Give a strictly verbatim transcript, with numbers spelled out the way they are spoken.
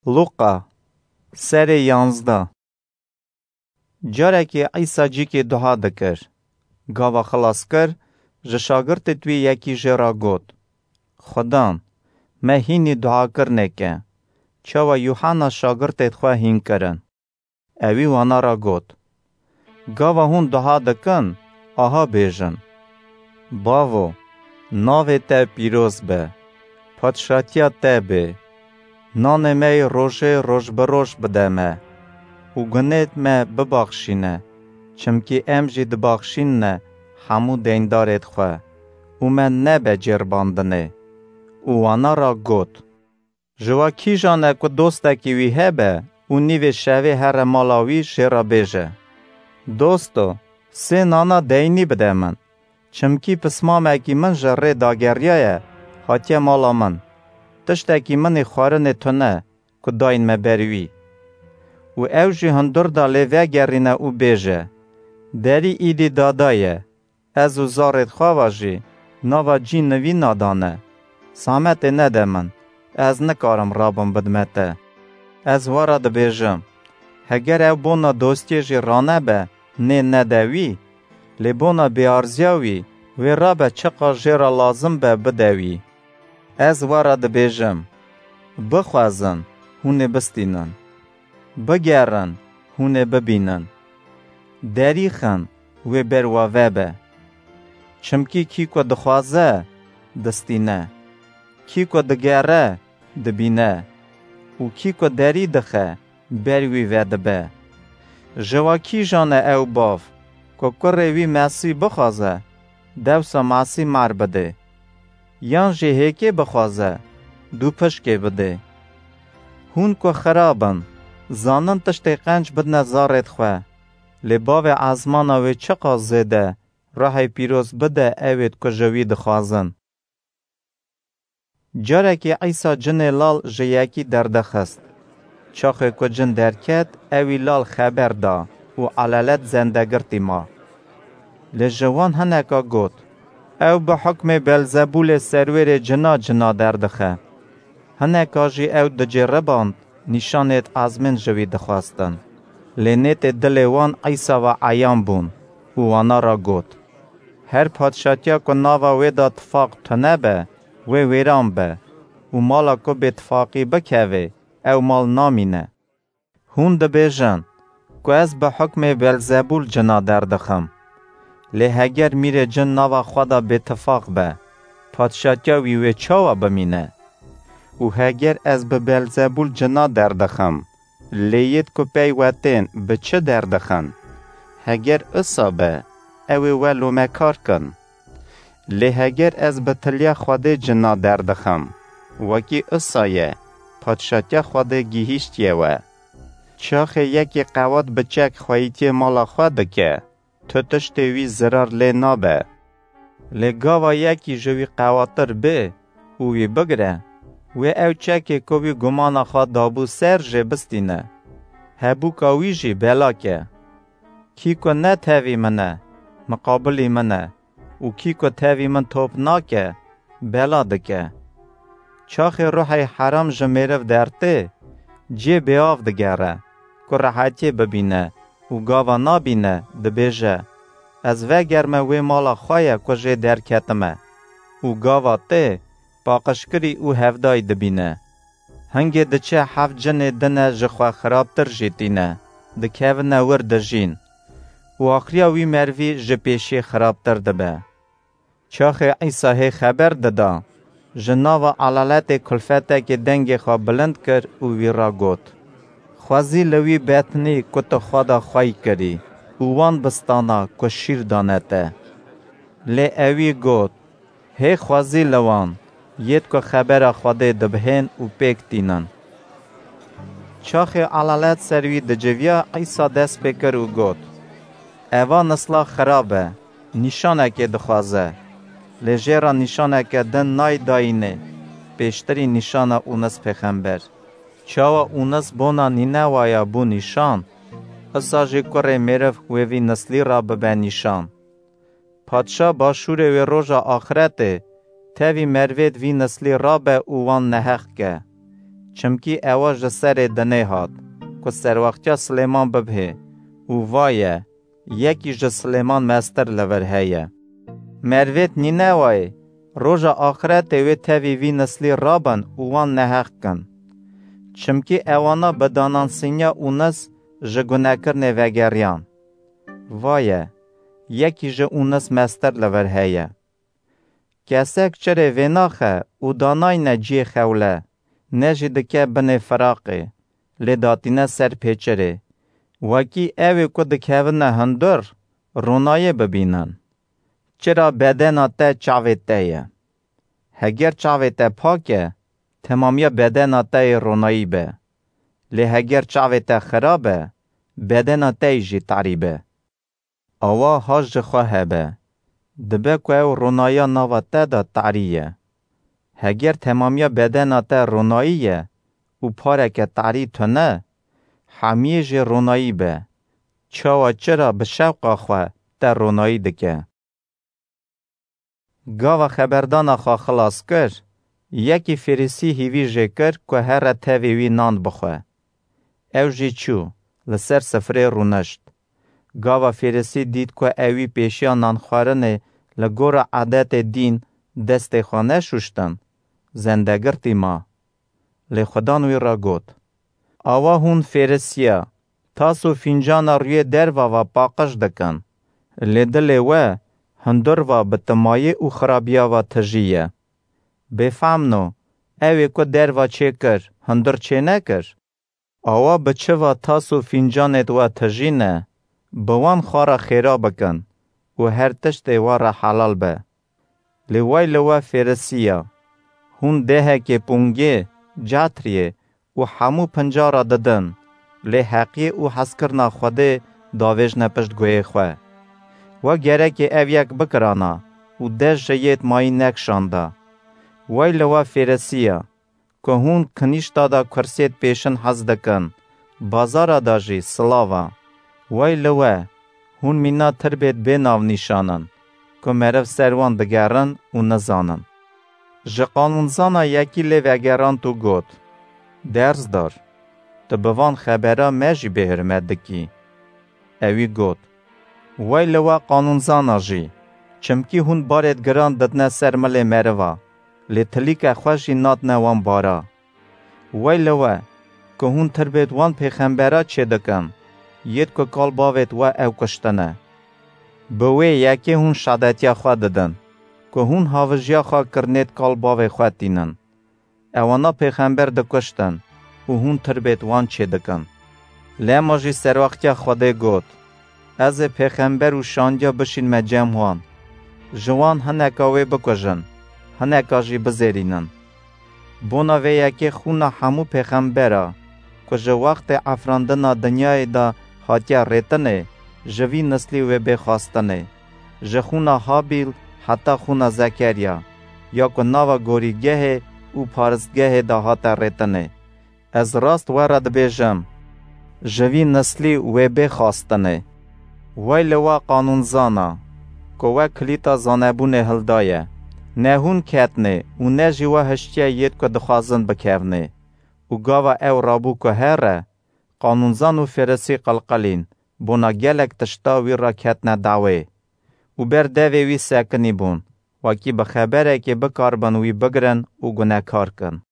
Luqa, serê yanzdeh. Carekê Îsa cîkê duha dikir. Gava xilas kir, ji şagirtêt wî yekî jê re got, "Xudan, me hînî duakirinê ke, çawa Yuhanna şagirtêt xwe hîn kirin." Ewî wana re got, "Gava hûn duha dikin, aha bêjin: Bavo, navê te pîroz be, padşatiya te bê, nanê me yê rojê roj bi roj bide me û gunêt me bibaxşîne, çimkî em jî dibaxşînine hemû deyndarêt xwe, û me nebe cêrbandinê." Û wana re got, "Ji we kîjan e ku dostekî wî hebe û nîvê şevê here mala wî, jê re bêje, 'Dosto, sê nana deynî bide min, çimkî pismamekî min ji rê dageriyaye, hatiye mala min, tiştekî min ê xwarinê tune ku dayîn me ber wî'? Û ew jî hundir da lê vegerîne û bêje, 'Derî îdî dadaye, ez û zarêt xwe ve jî nava cî nivîna dane. Zehmetê nede min, ez nikarim rabim bidime te.' Ez we re dibêjim, heger ew bona dostiyê jî ranebe, nê nede wî, lê bona bêarziya wî wê rabe çiqas jê re lazim be bide wî. Ez we re dibêjim, bixwezin, hûn ê bistînin. Bigerin, hûn ê bibînin. Derî xin, wê ber we vebe. Çimkî kî ku dixwaze, distîne. Kî ku digere, dibîne. Û kî ku derî dixe, ber wî vedibe. Ji we kîjan e ew bav, ku kurê wî mesî bixwaze, dewsa mesî mar bidê? Yan jî hêkê bixwaze, dûpişkê bidê? Hûn ku xirab in, zanin tiştê qenc bidine zarêt xwe, lê Bavê ezmana wê çiqas zêde Ruhê Pîroz bide ewêt ku ji wî dixwazin. Carekî Îsa cinê lal ji yekî derdixist. Çaxê ku cin derket, ewî lal xeber da û elalet zendegirtî ma. Lê ji wan hineka got, "Ew bi hukmê Belzebûlê serwêrê cina cina derdixe." Hineka jî ew dicêriband, nîşanêt ezmên ji wî dixwestin. Lê nêtê dilê wan Îsa ve eyan bûn û wana re got, "Her padşatiya ku nava wê de tifaq tune be, wê wêran be û mala ku bêtifaqî bikeve, ew mal namîne. Hûn dibêjin ku ez bi hukmê Belzebûl cina derdixim. Lê heger mîrê cin nava xwe de bêtifaq be, padşatiya wî wê çawa bimîne? Û heger ez bi Belzebûl cina derdixim, lê yêt ku pey we tên bi çi derdixin? Heger isa be, ew ê we lomekar kin. Lê heger ez bi tiliya Xwedê cina derdixim, wekî isa ye, padşatiya Xwedê gihîştiye we. Çaxê yekî qewat bi çek xweyîtiyê mala xwe dike, tu tiştê wî zirar lê nabe. Lê gava yekî ji wî qewatir bê û wî bigire, wê ew çekê ku wî gumana xwe dabû ser jê bistîne, hebûka wî jî bela ke. Kî ku ne tevî min e, miqabilî min e û kî ku tevî min top nake, bela dike." Çaxê ruhê heram ji mêriv dertê, cê bêav digere, ku rehetiyê bibîne û gava nabîne, dibêje, "Ez vegerme wê mala xwe ye ku jê derketime." Û gava tê, paqijkirî û hevdayî dibîne. Hingê diçe heft cinê dine ji xwe xirabtir jî tîne, dikevine wir dijîn. Û axiriya wî merivî ji pêşiyê xirabtir dibe. Çaxê Îsa hê xeber dida, ji nava elaletê kulfetekê dengê xwe bilind kir û wî re got, "Xwezî li wî betnî ku tu xwe de xwey kirî û wan bistana ku şîr dane te." Lê ewî got, "Hê xwezî li wan, yêt ku xebera Xwedê dibihên û pêk tînin." Çaxê elalet ser wî diciviya, Îsa dest pê kir û got, "Eva nisla xirab e, nîşanekê dixwaze. Lê jê re nîşaneke din nayê dayînê, pêştirî nîşana Ûnis pêxember. Çawa Ûnis bona Nînewaya bû nîşan, isa jî kurê mêriv wê vî nislî re bibe nîşan. Padşa başûrê wê roja axiretê tevî merivêt vî nislî rabe û wan neheq ke. Çimkî ewa ji serê dinê hat, ku serwextiya Silêman bibhê û va ye, yekî ji Silêman mestir li vir heye. Mervêt Nînewayê, roja axretê wê tevî vî nislî rabin û wan neheq kin. Çimkî ewana bi danansîniya Ûnis ji gunekirinê vegeriyan. Va ye, yekî ji Ûnis mestir li vir heye. Kesek çirê vênaxe û danayne cihê xewle, ne jî dike binê firaqê, lê datîne ser pêçirê, wekî ewê ku dikevine hundir, ronayê bibînin. Çira bedena te çavê te ye. Heger çavê te pak e, temamiya bedena te yê ronayî be. Lê heger çavê te xirab e, bedena te yî jî tarî be. Awa ha ji xwe hebe. Dibe ku ew ronayiya nava te de tarî ye. Heger temamiya bedena te ronayî ye û pareke tarî tune, hemiyê jê ronayî be. Çawa çira bi şewqa xwe te ronayî dike. Gava xeberdana xwe xilas kir, yekî Fêrisî hîvî jê kir ku here tevî wî nan bixwe. Ew jî çû, li ser sifrê rûnişt. Gava Fêrisî dît ku ewî pêşiya nanxwarinê li gora edetê dîn destê xwe neşûştin, zendegirtî ma. Lê Xudan wî re got, Awa hûn Fêrisiya, tas û fîncana rûyê derva ve paqij dikin, lê dilê we hundir ve bi timayê û xirabiya ve tijî ye. Bêfemno, ewê ku derva çêkir, hundir çênekir? Awa bi çi ve tas û fîncanêd we tijîne, bi wan xwe re xêra bikin û her tiştê we re helal be. Lê way li we Fêrisiya, hûn dehekê pûngê, cetriyê û hemû pincara didin, lê heqiyê û hezkirina Xwedê davêjne pişt guhê xwe. We gerekê ev yek bikirana û dest ji yêd mayî nekişanda. Way li we Fêrisiya, ku hûn kinîşta de kursiyêd pêşin hez dikin, bazara de jî silava. Way li we, hûn mîna tirbêd bê navnîşan in, ku meriv ser wan digerin û nizanin. Ji qanûnzana yekî lê vegerand û got, Derzdar, tu bi van xebera me jî bêhurmet dikî. Ewî got, Way li we qanûnzana jî, çimkî hûn barêd giran didine ser milê meriva, lê tilîke xwe jî nadine wan bara. Way li we, ku hûn tirbêd wan pêxembera çêdikin, yêd ku kal bavêd we ew kuştine. Bi wê yekê hûn şadetiya xwe didin, ku hûn havijiya xwe kirinêd kal bavê xwe tînin. Ewana pêxember dikuştin û hûn tirbêd wan çêdikin. Lema jî serwextiya Xwedê got, Ez ê pêxember û şandiya bişînme cem wan. Ji wan hineka wê bikujin, hineka jî bizêrînin. Bona vê yekê xûna hemû pêxembera, ku ji wextê efrandina dinyayê de hatiye rêtinê, ji vî nislî wê bê xwestinê. Ji xûna Habîl heta xûna Zekeriya, ya ku nava gorîgehê û paristgehê de hate rêtinê. Ez rast we re dibêjim, ji vî nislî wê bê xwestinê. Wey li we qanûnzana, ku we kilîta zanebûnê hildaye. Ne hûn ketnê û ne jî we hiştiye yêd ku dixwazin bikevnê. Û gava ew rabû ku here, qanûnzan û fêrisî qilqilîn, bona gelek tişta wî re ketine dawê. Û ber devê wî sekinî bûn, wekî bi xeberekê bikaribin wî bigirin û gunekar kin.